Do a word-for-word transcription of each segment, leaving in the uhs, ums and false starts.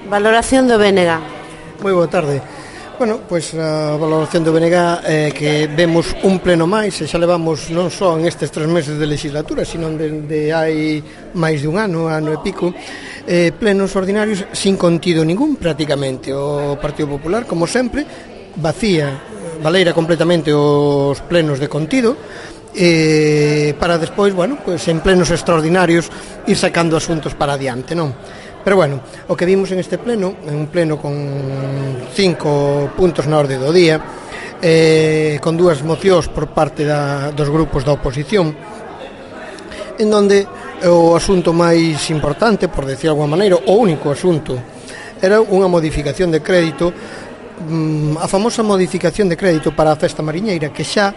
Valoración do B N G. Moi boa tarde. Bueno, pois a valoración do B N G é que vemos un pleno máis e xa levamos non só en estes tres meses de legislatura, sino dende hai máis de un ano, ano e pico, eh, plenos ordinarios sin contido ningún prácticamente. O Partido Popular, como sempre, vacía, valeira completamente os plenos de contido, eh, para despois, bueno, pois en plenos extraordinarios ir sacando asuntos para adiante, non? Pero bueno, o que vimos en este pleno, en un pleno con cinco puntos na orde do día, eh, con dúas mocións por parte da, dos grupos da oposición, en donde o asunto máis importante, por decir de alguma maneira, o único asunto, era unha modificación de crédito, a famosa modificación de crédito para a festa mariñeira, que xa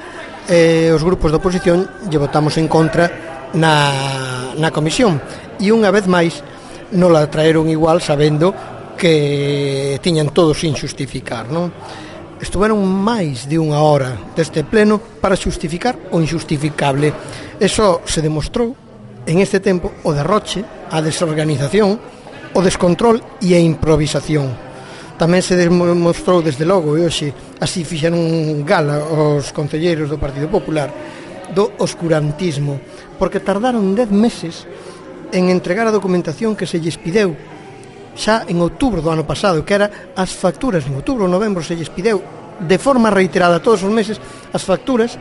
eh, os grupos da oposición lle votamos en contra na, na comisión, e unha vez máis non la traeron igual sabendo que tiñan todo sin xustificar, non? Estuveron máis de unha hora deste pleno para xustificar o injustificable. Eso se demostrou en este tempo o derroche, a desorganización, o descontrol e a improvisación. Tamén se demostrou desde logo, e hoxe así fixeron gala os concelleiros do Partido Popular, do oscurantismo, porque tardaron dez meses en entregar a documentación que se lles pideu xa en outubro do ano pasado, que era as facturas, en outubro ou novembro se lles pideu de forma reiterada todos os meses as facturas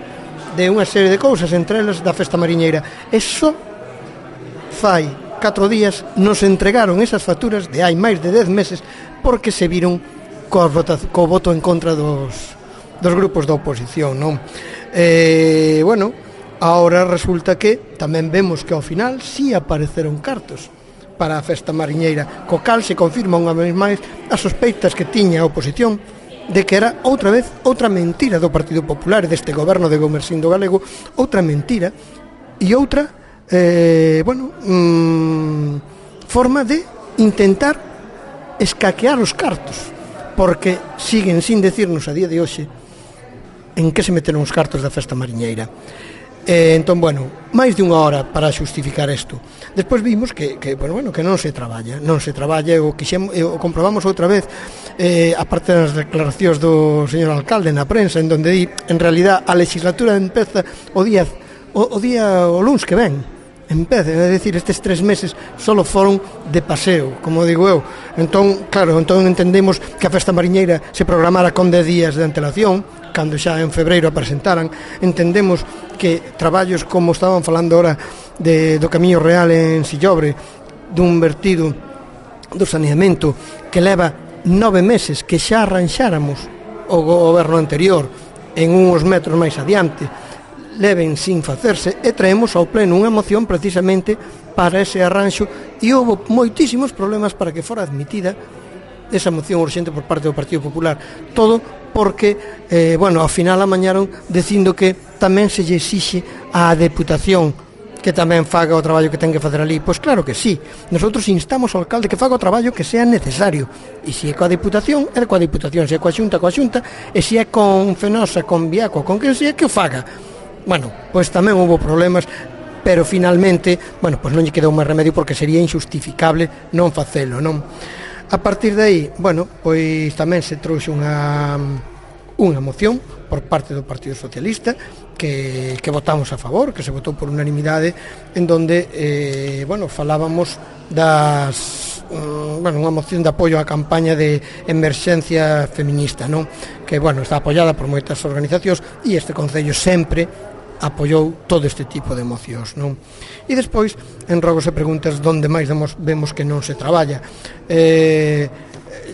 de unha serie de cousas, entre elas da festa mariñeira. E só fai catro días nos entregaron esas facturas de hai máis de dez meses porque se viron co, co voto en contra dos, dos grupos da oposición, non? Eh, bueno, ahora resulta que tamén vemos que ao final si apareceron cartos para a festa mariñeira, co cal se confirma unha vez máis as sospeitas que tiña a oposición de que era outra vez outra mentira do Partido Popular e deste goberno de Gomersindo Galego, outra mentira e outra eh, bueno, mmm, forma de intentar escaquear os cartos, porque siguen sin decirnos a día de hoxe en que se meteron os cartos da festa mariñeira. Eh, entón, bueno, máis de unha hora para xustificar isto. Despois vimos que, que, bueno, bueno, que non se traballa, non se traballa, o, quixemos, o comprobamos outra vez, eh, aparte das declaracións do señor alcalde na prensa, en donde di, en realidad, a legislatura empeza o día o, o día o luns que ven. Empece, é dicir, estes tres meses solo foron de paseo, como digo eu. Entón, claro, entón entendemos que a festa mariñeira se programara con dez días de antelación, cando xa en febreiro a presentaran. Entendemos que traballos como estaban falando ahora de, do Camiño Real en Sillobre, dun vertido do saneamento que leva nove meses, que xa arranxáramos o goberno anterior en uns metros máis adiante, leven sin facerse, e traemos ao pleno unha moción precisamente para ese arranxo, e houve moitísimos problemas para que fora admitida esa moción urxente por parte do Partido Popular. Todo porque, eh, bueno, ao final amañaron dicindo que tamén se lle exixe á Deputación que tamén faga o traballo que ten que facer ali. Pois claro que sí, nosotros instamos ao alcalde que faga o traballo que sea necesario, e se é coa Deputación, é coa Deputación, se é coa Xunta, coa Xunta, e se é con Fenosa, con Viaco, con quen sea, que o faga. Bueno, pois tamén houve problemas, pero finalmente, bueno, pois non lle quedou máis remedio porque sería injustificable non facelo, non? A partir de aí, bueno, pois tamén se trouxe unha unha moción por parte do Partido Socialista que, que votamos a favor, que se votou por unanimidade, en donde, eh, bueno, falábamos das, um, bueno, unha moción de apoio á campaña de emerxencia feminista, non? Que, bueno, está apoiada por moitas organizacións e este Concello sempre apoiou todo este tipo de mocións, non? E despois, en rogos e preguntas, donde máis demos, vemos que non se traballa. Eh,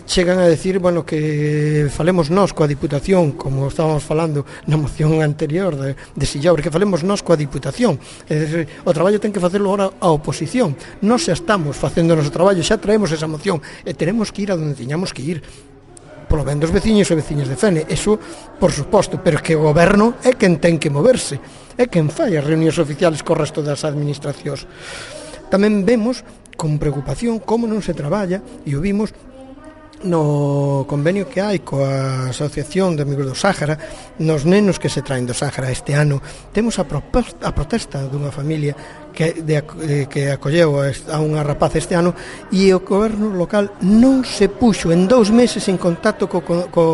chegan a decir, bueno, que falemos nós coa Diputación, como estábamos falando na moción anterior de, de Sillobre, que falemos nós coa Diputación. É dicir, o traballo ten que facelo ahora a oposición. Nós xa estamos facendo o noso traballo, xa traemos esa moción, e teremos que ir a donde tiñamos que ir, polo ben dos veciños e veciñas de Fene, eso por suposto, pero que o goberno é quen ten que moverse, é quen fai as reunións oficiales co resto das administracións. Tamén vemos con preocupación como non se traballa, e o vimos no convenio que hai coa Asociación de Amigos do Sáhara, nos nenos que se traen do Sáhara este ano, temos a, proposta, a protesta dunha familia que, de, que acolleu a, a unha rapaz este ano, e o goberno local non se puxo en dous meses en contacto co, co, co,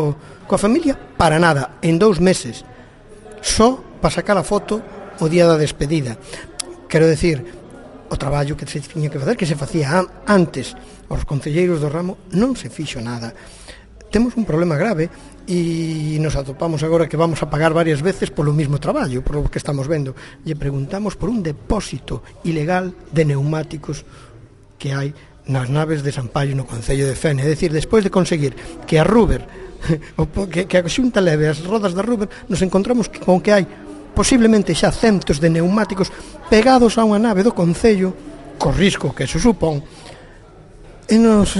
coa familia para nada, en dous meses, só para sacar a foto o día da despedida. Quero decir, o traballo que se tiña que facer, que se facía antes aos concelleiros do ramo, non se fixo nada. Temos un problema grave e nos atopamos agora que vamos a pagar varias veces polo mismo traballo, por lo que estamos vendo. Lle preguntamos por un depósito ilegal de neumáticos que hai nas naves de San Paio no concello de Fene. É dicir, despois de conseguir que a Ruber, que, que a Xunta leve as rodas da Ruber, nos encontramos con que hai posiblemente xa centos de neumáticos pegados a unha nave do concello, co risco que se supón, e nos,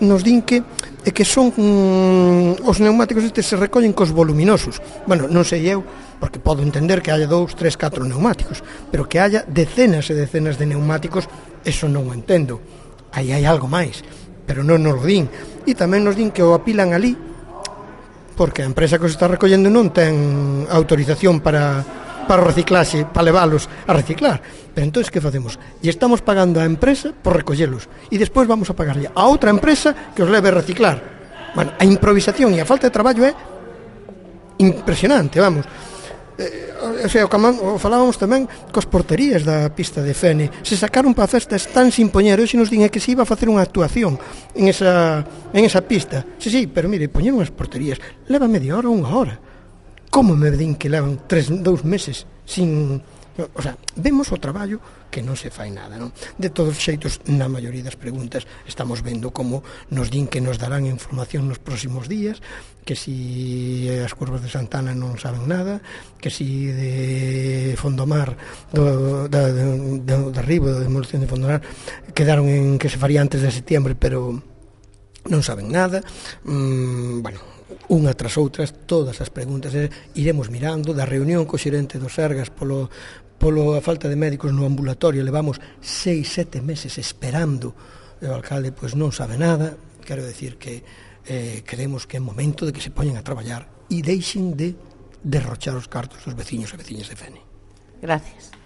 nos din que e que son mm, os neumáticos estes se recollen cos voluminosos. Bueno, non sei eu, porque podo entender que haya dous, tres, catro neumáticos, pero que haya decenas e decenas de neumáticos, eso non o entendo. Aí hai algo máis, pero non nos lo din. E tamén nos din que o apilan ali porque a empresa que os está recollendo non ten autorización para, para o reciclaxe, para leválos a reciclar. Pero entón, que facemos? E estamos pagando á empresa por recollelos, e despois vamos a pagarlle a outra empresa que os leve a reciclar. Bueno, a improvisación e a falta de traballo é impresionante, vamos. Eh, o sea, o falábamos tamén cos porterías da pista de Fene. Se sacaron para festas tan sin poñer, hoxe nos din que se iba a facer unha actuación en esa, en esa pista. Sí, sí, pero mire, poñeron as porterías, leva media hora ou unha hora. Como me din que levan tres, dous meses sin... O sea, vemos o traballo que non se fai nada, non? De todos os xeitos, na maioría das preguntas estamos vendo como nos din que nos darán información nos próximos días, que si as curvas de Santana non saben nada, que si de Fondomar do, da, do, do, do arribo da demolición de Fondomar quedaron en que se faría antes de setiembre, pero non saben nada. mm, bueno, unha tras outras, todas as preguntas eh, iremos mirando. Da reunión co xerente do Sergas polo, polo a falta de médicos no ambulatorio, levamos seis, sete meses esperando, e o alcalde pois non sabe nada. Quero decir que eh, creemos que é momento de que se poñen a traballar e deixen de derrochar os cartos dos veciños e veciñas de Fene. Gracias.